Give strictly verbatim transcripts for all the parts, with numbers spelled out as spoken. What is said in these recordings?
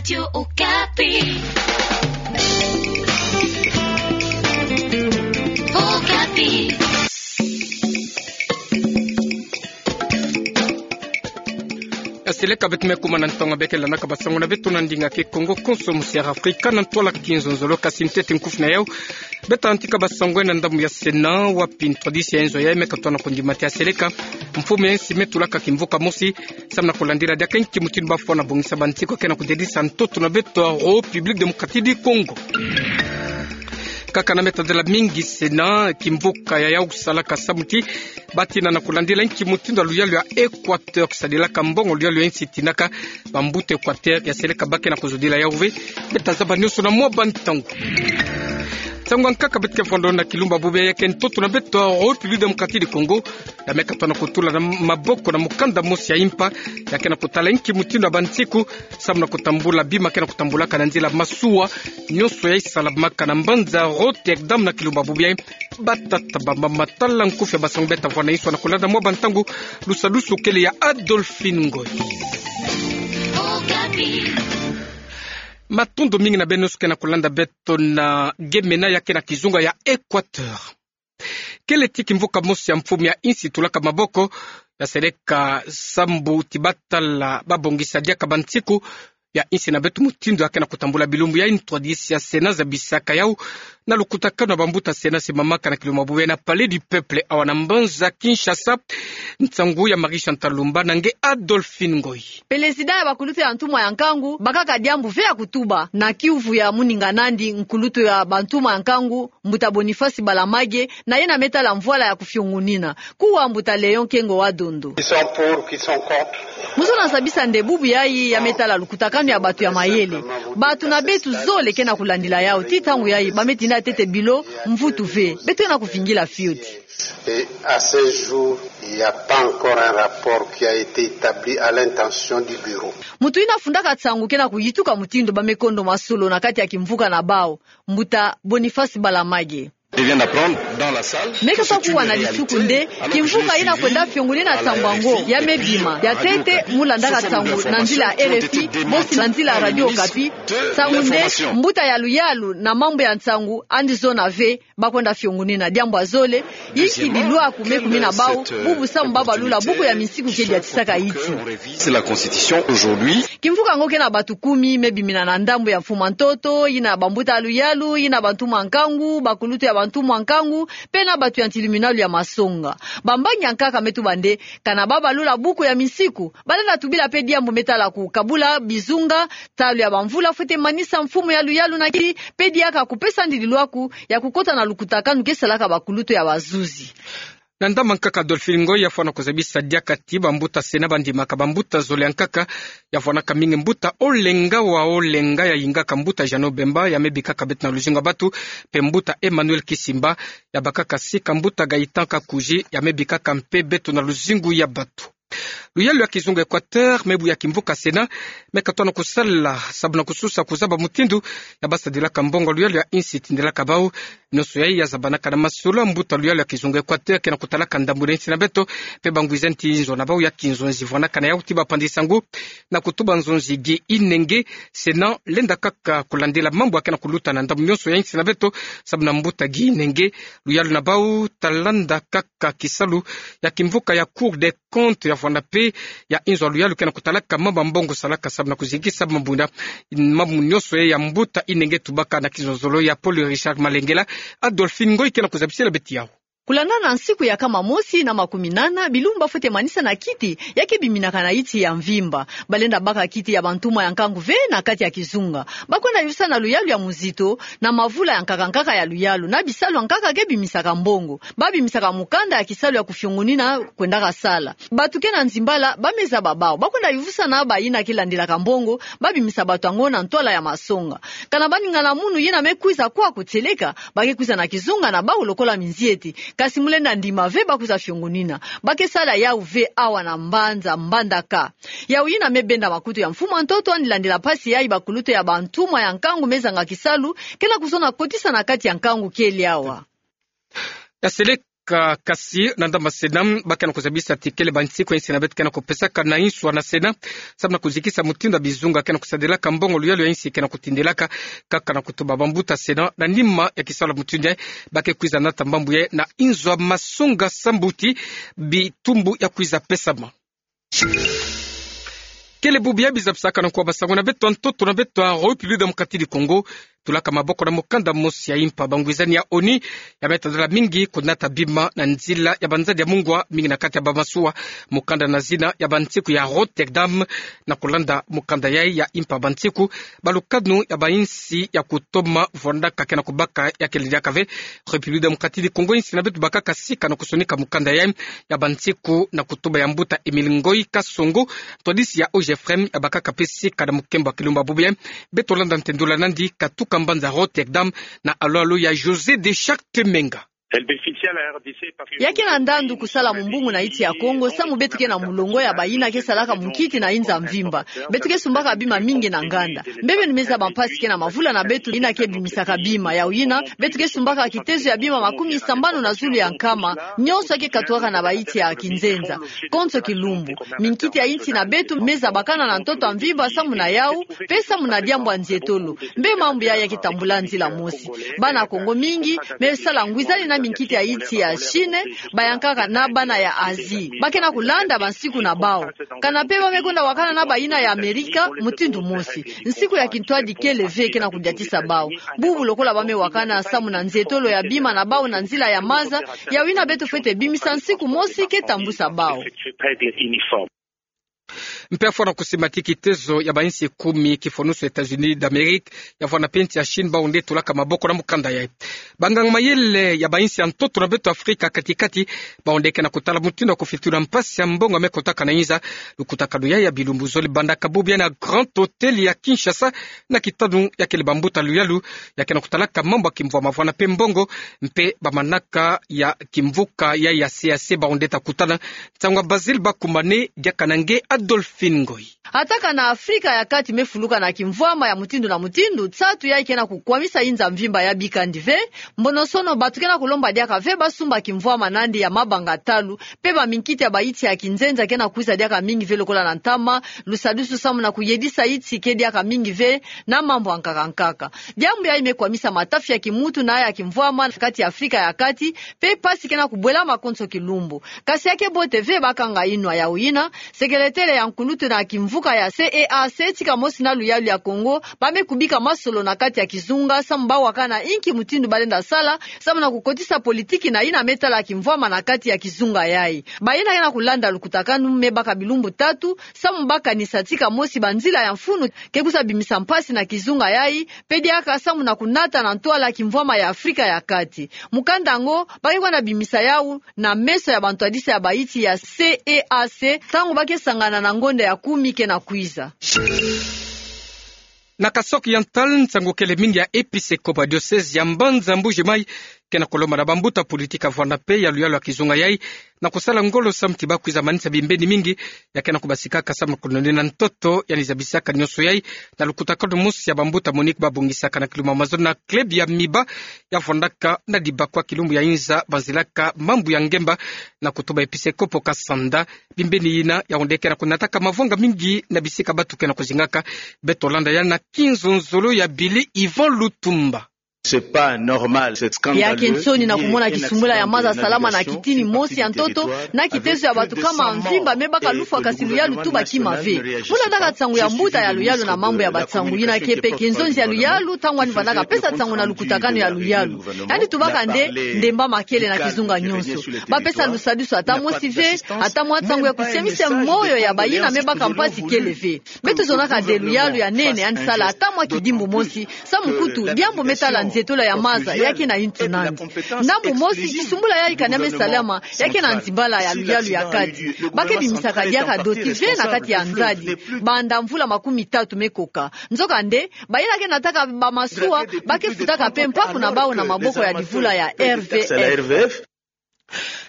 Radio Okapi. Okapi. Ya seleka beto me kuma na ntonga beke landaka basango na beto na ndinga Kikongo, konso musi ya Afrika na ntwala kinzonzolo. Kasi ntete nkufi na yau, beta ntika basango na ndambu ya Sénat, wapi ntwadisi ya inzo yayi me katona kondimati ya seleka mfumu ya insi me tulaka kimvuka mosi, samu na kulandila diaka nki mutindu bafwana bongisa bansiku ya ke na kudedisa ntoto na beto ya République Démocratique du Congo. Kaka na meta dela mingi Sénat, kimvuka ya yau salaka samu ti batina na kulandila nki mutindu ya luyalu ya Équateur kisadilaka mbongo luyalu ya insi tinaka bambuta Équateur. Ya seleka ba ke na kuzodila yau ve, beta zaba nionso na mwa bantangu. Nsangu ankaka beto ke fwandono na kilumbu bubu yayi ke ntoto na beto ya République Démocratique du Congo ya me katona kutula na maboko na mukanda mosi ya impa ya ke na kutala nki mutindu ya bansiku samu na kutambula bima ke na kutambulaka na nzila masuwa nionso yayi salamaka na mbanza Rotterdam na kilumbu bubu yayi. Batata, bamama, tala nkufi ya basango beta vwanda inso na kulanda mwa bantangu. Lusadusu kele ya Adolphine Ngoy. Matondo mingi na beno nionso ke na kulanda beto na Gemena ya ke na kizunga ya Équateur. Kele ti kimvuka mosi ya mfumu ya insi tulaka maboko ya seleka sambu ti batala babongisa diaka bansiku ya insi na beto mutindu ya ke na kutambula bilumbu yayi. Ntwadisi ya Sénat zabisaka yau na lukutakanu ya bambuta Sénat simamaka na kilumbu bubu yayi na Palais du Peuple awa na mbanza Kinshasa. Nsangu ya Marie Chantal Lumba na nge Adolphine Ngoy. Pelezida ya bakulutu ya ntumwa ya nkangu bakaka diambu ve ya kutuba na kiuvu ya muninga nandi nkulutu ya bantumwa ya nkangu, mbuta Boniface Balamage, na yena me tala mvwala ya kufiongunina, kuwa mbuta Léon Kengo wa Dondo. Qui sont pour, qui sont contre. Muzono zabisa nde bubu yayi ya me tala lukutakanu ya batu ya mayele. Batu na beto zole ke na kulandila yau, ti ntangu yayi ba me tinda ntete bilo mvutu ve. Beto ke na kuvingila fioti. Et à ce jour, il n'y a pas encore un rapport qui a été établi à l'intention du bureau. Mutu yina fundaka nsangu ke na kuyituka mutindu ba me kondoma solo na kati ya kimvuka na bau, mbuta Boniface Balamage. Je viens d'apprendre dans la salle. Me kasa kuwa na lisuku nde kimvuka yina kwenda fiongunina nsangu yango ya me bima. Ya ntete mu landaka nsangu na nzila ya R F I, bosi na nzila ya Radio Okapi. Nsangu nde mbuta ya luyalu na mambu ya nsangu andi zona ve ba kwenda fiongunina diambu ya zole, yinki dilwaku me kumina bau, bubu samu ba balula buku ya minsiku ke diatisaka yinti. C'est la constitution aujourd'hui. Kimvuka yango ke na batu kumi me bimina na ndambu ya mfumu ya ntoto, yina bambuta ya luyalu, yina bantumwa ya nkangu, bakulutu ya bantumwa ya nkangu, mpe na batu ya ntiliminalu ya masonga. Bambangi ya nkaka me tuba nde, kana ba balula buku ya minsiku, ba lenda tubila mpe diambu me tala kukabula bizunga, ntalu ya bamvula fwete manisa mfumu ya luyalu na kiti, mpe diaka kupesa ndililwaku ya kukota na lukutakanu ke salaka bakulutu ya bazuzi. Na ndambu ya nkaka Adolphine Ngoy, ya fwana kuzabisa diaka ti bambuta Sénat bandimaka bambuta zole ya nkaka, ya fwanaka mingi mbuta Olenga wa Olenga ya yingaka mbuta Jeannot Bemba, ya me bikaka beto na luzingu ya batu, mpe mbuta Emmanuel Kisimba, ya bakaka sika mbuta Gaëtan Kakuzi, ya me bikaka mpe beto na luzingu ya batu. Luyalu ya kizunga Équateur, mebu ya kimvuka Sénat, me katona kusala sabu na kususa kuzaba mutindu ya ba sadilaka mbongo luyalu ya insi tindelaka bau. Nionso yayi ya zabanaka na masolo ya mbuta luyalu ya kizunga Équateur ke na kutalaka ndambu na insi na beto, mpe bangwiza nti nzo na bau ya kinzonzi. Vwanaka na yau ti bapandi nsangu na kutuba nzonzi Guy Inenge. Sénat lenda kaka kulandila mambu ya ke na kuluta na ndambu nionso ya insi na beto, sabu na mbuta Guy Inenge, luyalu na bau ta landa kaka kisalu ya kimvuka ya Cour des Comptes, ya vwanda mpe ya inzo ya luyalu ke na kutalaka mambu ya mbongo salaka sabu na kuzikisa mambu na mambu nionso ya mbuta Inenge. Tubaka na kizololo ya Paul Richard Malengela, Adolphine Ngoy ke na kuzabisila beto yau. Kulandana na nsiku ya nkama mosi na makumi nana, bilumbu fwete manisa na kiti ya ke biminaka na yinti ya mvimba. Ba lenda baka kiti ya bantumwa ya nkangu ve na kati ya kizunga. Ba kwenda yuvisa na luyalu ya muzito, na mavula ya nkaka nkaka ya luyalu, na bisalu ya nkaka ke bimisaka mbongo. Ba bimisaka mukanda ya kisalu ya kufiongunina kwendaka sala. Batu ke na nzimbala, ba me zaba bau. Ba kwenda yuvisa na bayina ke landilaka mbongo, ba bimisa batu yango na ntwala ya masonga. Kana baningana munu yina me kwiza kwaku tieleka, ba ke kwiza na kizunga na bau lokola minzieti. Kasi mu lenda ndima ve ba kwiza fiongunina. Ba ke sala yau ve awa na mbanza Mbandaka. Yau yina me benda makutu ya mfumu ya ntoto andi landila mpasi yayi bakulutu ya bantumwa ya nkangu me zanga kisalu, ke na kuzona kotisa na kati ya nkangu kele awa. Ya seleka Ka-, kasi na ndambu ya Sénat, ba ke na kuzabisa ti kele bansiku ya insi na beto ke na kupesaka na inswa na Sénat, samu na kuzikisa mutindu ya bizunga ke na kusadelaka mbongo luyalu ya insi ke na kutindelaka, kaka na kutuba bambuta Sénat na nima ya kisalu ya mutindu yayi, ba ke kwiza nata mbambu yayi na inzo ya masonga sambu ti bitumbu ya kwiza pesama. Kele bubu ya biza bisaka na nkwa basango na beto ya ntoto na beto ya République Démocratique du Congo, tulaka maboko na mukanda mosi ya impa bangwizani ya ONU, ya me tadala mingi kunata bima na nzila ya banzadi ya mungwa mingi na kati ya bamasuwa, mukanda na zina ya bansiku ya Rotterdam. Na kulanda mukanda yayi ya impa bansiku, balukanu ya bainsi ya kutoma vwandaka ke na kubaka ya kele diaka ve. République Démocratique du Congo, insi na beto bakaka sika na kusonika mukanda yayi ya bansiku na kutuba ya mbuta Émile Ngoyi Kasongo, ntwadisi ya OGFREM, ya bakaka mpe sika na mukembo ya kilumbu ya bubu yayi. Beto landa ntendula nandi katuka mbanza Rotterdam na alu alu ya Josée de Charte Menga. Ya ke na ndandu kusala mumbungu na insi ya Kongo, samu beto ke na mulongo ya bayina ke salaka munkiti na inza mvimba. Beto ke sumbaka bima mingi na nganda. Mbe beno me zaba mpasi ke na mavula na beto yina ke bimisaka bima. Yawu yina, beto ke sumbaka kitezo ya bima makumi sambanu na zulu ya nkama, nyonso ya ke katuaka na bainsi ya kinzenza. Konso kilumbu, minkiti ya insi na beto me zabakana na ntoto ya mvimba samu na yawu, mpe samu na diambu ya nzietolo. Mbe mambu yayi ya ke tambula nzila mosi. Bana Kongo mingi me sala ngwizani na minkiti ya insi ya Chine, bayankaka na bana ya Asie. Ba ke na kulanda bansiku na bawu. Kana mpe ba me kwenda wakana na bayina ya Amerika, mutindu mosi. Nsiku ya kintwadi kele ve ke na kudiatisa bawu. Bubu lokola ba me wakana samu na nzietolo ya bima na bawu na nzila ya maza, yawu yina beto fwete bimisa nsiku mosi ke tambusa bawu. Mpe ya fwana kusimba ti kitezo ya bainsi kumi, kifwanusu États-Unis d'Amérique, ya fwana mpe insi ya Chine, bawu nde tulaka maboko na mukanda yayi. Banganga mayele ya bainsi ya ntoto na beto Afrika kati-kati, bawu nde ke na kutala mutindu ya kufitula mpasi ya mbongo ya me kotaka na inza. Lukutakanu yayi ya bilumbu zole bandaka bubu yayi na Grand Hôtel ya Kinshasa, na kitanu ya kele bambuta luyalu ya ke na kutalaka mambu ya kimvwama, fwana mpe mbongo, mpe bamanaka ya kimvuka ya, ya C E E A C, bawu nde ta kutana. Nsangu ya Basile Bakumane, diaka na nge Adolphine Ngoyi. Ata kana Afrika ya Kati me fuluka na kimvwama ya mutindu na mutindu, nsatu yayi ke na kukwamisa inza mvimba ya bikandi ve. Mbonosono, bantu ke na kulomba diaka ve ba sumba kimvwama nandi ya mabanga talu, mpe baminkiti ya bainsi ya kinzenza ke na kwiza diaka mingi ve lokola na ntama, lusadusu samu na kuyedisa insi ke diaka mingi ve na mambu ya nkaka nkaka. Diambu yayi me kwamisa matafi ya kimuntu na ya kimvwama na kati ya Afrika ya Kati, mpe mpasi ke na kubwelama konso kilumbu. Kasi ya ke bote ve ba kanga inwa. Yawu yina, sekeletele ya nkulutu na kimvuka ya C E E A C, tika mosi na luyalu ya Kongo, ba me kubika masolo na kati ya kizunga, samu ba wakana inki mutindu ba lenda sala samu na kukotisa politiki na yina me tala kimvwama na kati ya kizunga yayi. Bayina ke na kulanda lukutakanu me baka bilumbu tatu, samu ba kanisa tika mosi banzila ya mfunu ke kwiza bimisa mpasi na kizunga yayi, mpe diaka samu na kunata na ntwala kimvwama ya Afrika ya Kati. Mukanda yango ba ke kwenda bimisa yawu na meso ya bantwadisi ya bainsi ya C E E A C, ntangu ba ke sangana na ngonda ya kumi ke na kwiza. Na Kasaï Oriental, nsangu kele mingi ya episkopo ya diocèse ya Mbanza Mbuji Mayi ke na kulomba na bambuta politika fwana mpe ya luyalu ya kizunga yayi na kusala ngolo samu ti ba kwiza manisa bimbeni mingi ya ke na kubasikaka samu na kunonina ntoto, yandi zabisaka nyonso yayi na lukutakanu mosi ya bambuta Monique ba bongisaka na kilumbu ya mazono na club ya Miba ya fwandaka na Dibakwa, kilumbu ya inza banzilaka mambu ya ngemba, na kutuba episkopo Kasanda. Bimbeni yina, yawu nde ke na kunataka mavwanga mingi na bisika bantu ke na kuzingaka. Beto landa yandi na kinzonzolo ya Billy Yvon Lutumba. C'est pas normal, c'est scandaleux. Ya ke nsoni na kumona kisumbula ya maza salama na kitini mosi ya ntoto, na kitezo ya bantu nkama mvimba me baka lufwa, kasi luyalu tu ba kima ve. Mu landaka nsangu ya mbuta ya luyalu na mambu ya bansangu, yina ke mpe kinzonzi ya luyalu, ntangu yandi vandaka pesa nsangu na lukutakanu ya luyalu. Yandi tubaka nde ndemba makele na kizunga nyonso. Ba pesa lusadusu ata mosi ve, ata mwa nsangu ya kusiamisa moyo ya bayina me baka mpasi kele ve. Beto zonaka nde luyalu ya nene yandi sala ata mwa kidimbu mosi, samu kutu diambu me tala nzietolo ya maza ya ke na yintu nandi. Ndambu mosi, kisumbula yayi kani ya me salama ya ke na nzimbala ya luyalu ya kati. Ba ke bimisaka diaka doti ve na kati ya nzadi banda mvula makumi tatu me koka. Nzokande, bayina ke nataka bamasuwa ba ke futaka mpe mpaku na bawu na maboko ya livula ya R V F.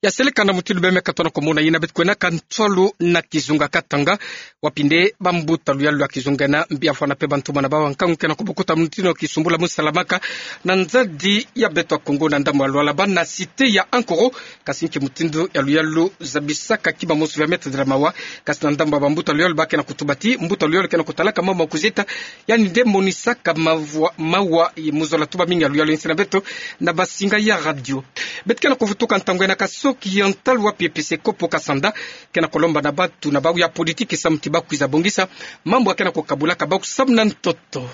Ya seleka na mutindu beme ka tona komona yina beto kwena ka ntwalu na kizunga Katanga, wapi nde bambuta luyalu ya kizunga ena mbi avwanda pe bantu mana bawa nkangu kena kubukuta mutindu kisumbula musalamaka na nzadi ya beto Akongo na ndambu ya Lualaba na cité ya Ankoro. Kasi nki mutindu ya luyalu zabisaka kima mosi vya mètre de la mawa, kasi na ndambu ya bambuta luyalu ba kena kutuba ti mbuta luyalu kena kutalaka mama kuzita, yandi nde monisaka mavwa, mawa, muzola tuba mingi ya luyalu. Yinsi na beto na basinga ya radio, beto kena kuvutuka ntangu ena ka soki ya ntalu wapi episkopo Kasanda kena kulomba na bantu na bawu ya politiki samu ti bakwiza bongisa mambu ya kena kukabulaka bawu samu na ntoto.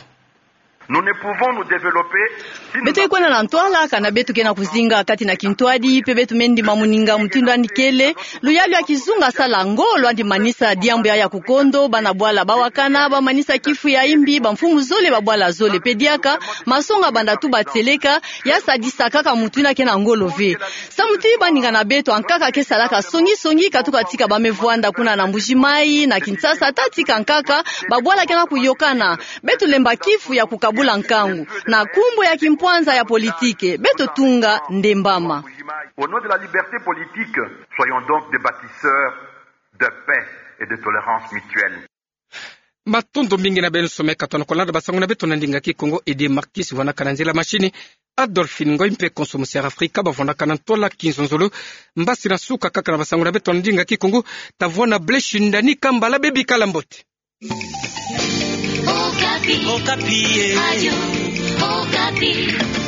Nous ne pouvons nous développer si nous... Beto ke kwenda na ntwala kana beto kena kuzinga kati na kintwadi, pe beto meni ndima muninga mutindu yandi kele. Luyalu ya kizunga sala ngolo yandi manisa diambu ya, ya kukondo, bana bwala bawakana, bamanisa kifu ya imbi, bamfumu zole, babwala zole. Pe diaka, masonga banda tuba tieleka, ya sadisa kaka mutu yina kena ngolo ve. Samu ti baninga na beto ankaka ke salaka songi-songi, katuka tika bame vwanda kuna na Mbuji-Mayi, na Kinshasa, ta tika ankaka, babwala kena kuyokana. Beto lemba kifu ya kukabula nkangu. Na nkumbu ya kimpwanza ya politike, beto tunga ndembama. Au nom de la liberté politique, soyons donc des bâtisseurs de paix et de tolérance mutuelle. Matondo mingi na beno somo ka tona kolanda basango na beto na ndinga Kikongo. Aidé Marcus vwandaka na nzila machine, Adolphine Ngoy mpe Konso Musiara Afrika bavwandaka na ntwala kinzonzolo. Mbasi na suka kaka na basango na beto na ndinga Kikongo, tavwanda Blaise Shindani Kambala, bebikala mbote. Okapi. Okapi, eh. Radio Okapi.